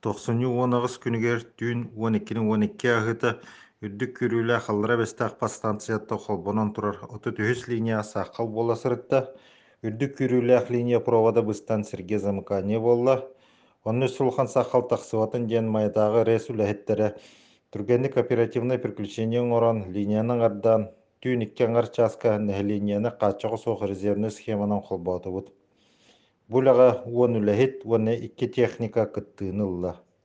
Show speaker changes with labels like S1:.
S1: 90-19 күнүгер түн 12-12 агыта үрдүк күрүүлэ халлара бестак подстанциятта холбонон турар отутүһүс линия сахал боласырытта үрдүк күрүүлэх линия провода быстан сирге замыкание болла. Онны сулхан сахал таксыбатын ден майдагы рейс үлэхеттере түргенник оперативное приключение орон линияның ардан түн 2 аңар часка линияны каччого соох резервный схеманан холботубут. Булага уон үлэхит уонне 2 техника кыттыынылла.